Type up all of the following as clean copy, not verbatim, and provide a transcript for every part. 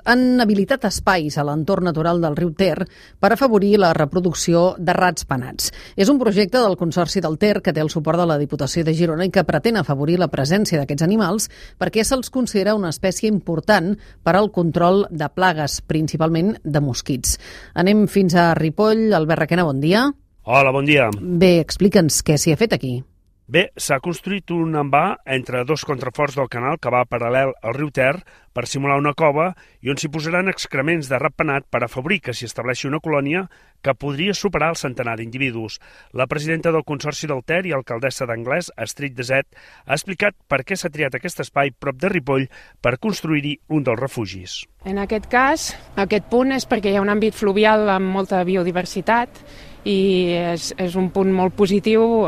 Han habilitat espais a l'entorn natural del riu Ter per afavorir la reproducció de rats penats. És un projecte del Consorci del Ter que té el suport de la Diputació de Girona i que pretén afavorir la presència d'aquests animals perquè se'ls considera una espècie important per al control de plagues, principalment de mosquits. Anem fins a Ripoll. Albert Requena, bon dia. Hola, bon dia. Bé, explica'ns què s'hi ha fet aquí. Bé, s'ha construït un envà entre dos contraforts del canal que va paral·lel al riu Ter per simular una cova i on s'hi posaran excrements de ratpenat per afavorir que s'hi estableixi una colònia que podria superar el centenar d'individus. La presidenta del Consorci del Ter i alcaldessa d'Anglès, Astrid Deset, ha explicat per què s'ha triat aquest espai prop de Ripoll per construir-hi un dels refugis. En aquest cas, aquest punt és perquè hi ha un àmbit fluvial amb molta biodiversitat i és un punt molt positiu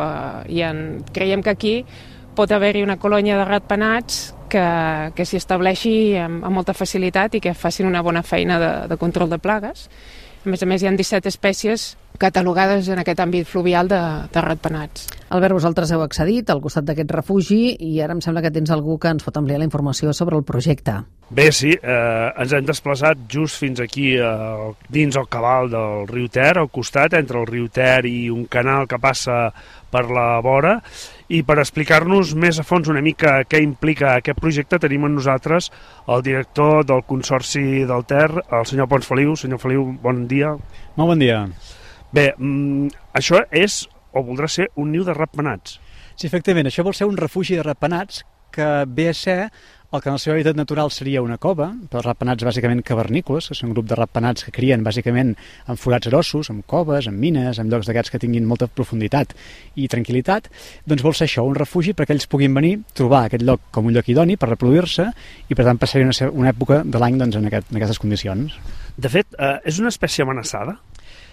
i creiem que aquí pot haver-hi una colònia de ratpenats que s'hi estableixi amb molta facilitat i que facin una bona feina de control de plagues. A més, hi ha 17 espècies catalogades en aquest àmbit fluvial de ratpenats. Albert, vosaltres heu accedit al costat d'aquest refugi i ara em sembla que tens algú que ens pot ampliar la informació sobre el projecte. Bé, sí, ens hem desplaçat just fins aquí dins el cabal del riu Ter, al costat, entre el riu Ter i un canal que passa per la vora, i per explicar-nos més a fons una mica què implica aquest projecte tenim amb nosaltres el director del Consorci del Ter, el senyor Pons Feliu. Senyor Feliu, bon dia. Molt bon dia. Bé, això és o voldrà ser un niu de ratpenats. Sí, efectivament, això vol ser un refugi de ratpenats que ve a ser el que en el seu hàbitat natural seria una cova, però ratpenats bàsicament cavernícoles, que són un grup de ratpenats que crien bàsicament en forats grossos, en coves, en mines, en llocs d'aquests que tinguin molta profunditat i tranquil·litat, doncs vol ser això, un refugi perquè ells puguin venir, trobar aquest lloc com un lloc idoni per reproduir-se i per tant passar una època de l'any doncs, en aquestes condicions. De fet, és una espècie amenaçada?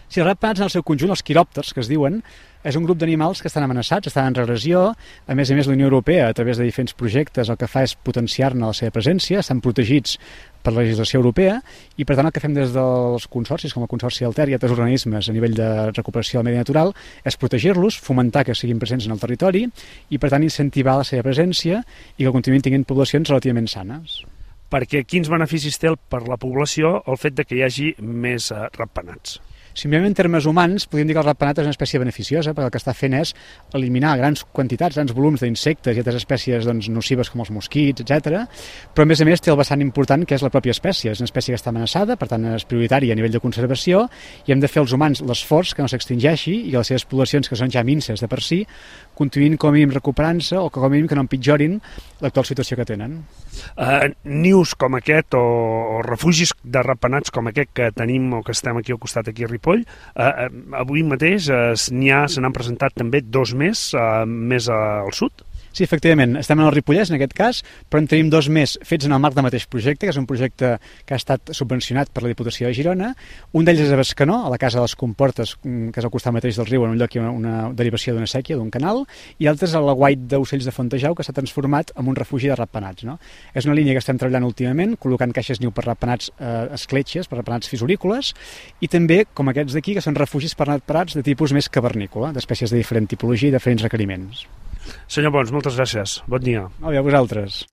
Sí, els ratpenats en el seu conjunt, els quiròpters, que es diuen, és un grup d'animals que estan amenaçats, estan en regressió. A més, la Unió Europea, a través de diferents projectes, el que fa és potenciar-ne la seva presència, estan protegits per la legislació europea i, per tant, el que fem des dels consorcis, com el Consorci del Ter i altres organismes a nivell de recuperació del medi natural, és protegir-los, fomentar que siguin presents en el territori i, per tant, incentivar la seva presència i que continuïn tenint poblacions relativament sanes. Perquè quins beneficis té per la població el fet de que hi hagi més ratpenats? Si mirem en termes humans, podríem dir que el ratpenat és una espècie beneficiosa perquè el que està fent és eliminar grans quantitats, grans volums d'insectes i altres espècies nocives com els mosquits, etc. Però a més té el vessant important que és la pròpia espècie. És una espècie que està amenaçada, per tant és prioritària a nivell de conservació i hem de fer els humans l'esforç que no s'extingeixi i que les seves poblacions, que són ja minses de per si, continuïn com a mínim recuperant-se o com a mínim que no empitjorin l'actual situació que tenen. Nius com aquest o refugis de ratpenats com aquest que tenim o que estem aquí al costat aquí a Ripoll, avui mateix se n'han presentat també 2 més al sud? Sí, efectivament, estem en el Ripollès en aquest cas, però en tenim 2 més fets en el marc del mateix projecte, que és un projecte que ha estat subvencionat per la Diputació de Girona. Un d'ells és a Bescanó, a la Casa de les Comportes, que és al costat mateix del riu, en un lloc hi ha una derivació d'una séquia, d'un canal, i altres a l'aguait d'ocells de Fontejau, que s'ha transformat en un refugi de ratpenats. No? És una línia que estem treballant últimament, col·locant caixes niu per ratpenats escletxes, per ratpenats fisurícoles, i també, com aquests d'aquí, que són refugis per ratpenats de tipus més cavernícola, d'espècies de diferent tipologia i diferents requeriments. Senyor Pons, moltes gràcies. Bon dia. Molt bé, a vosaltres.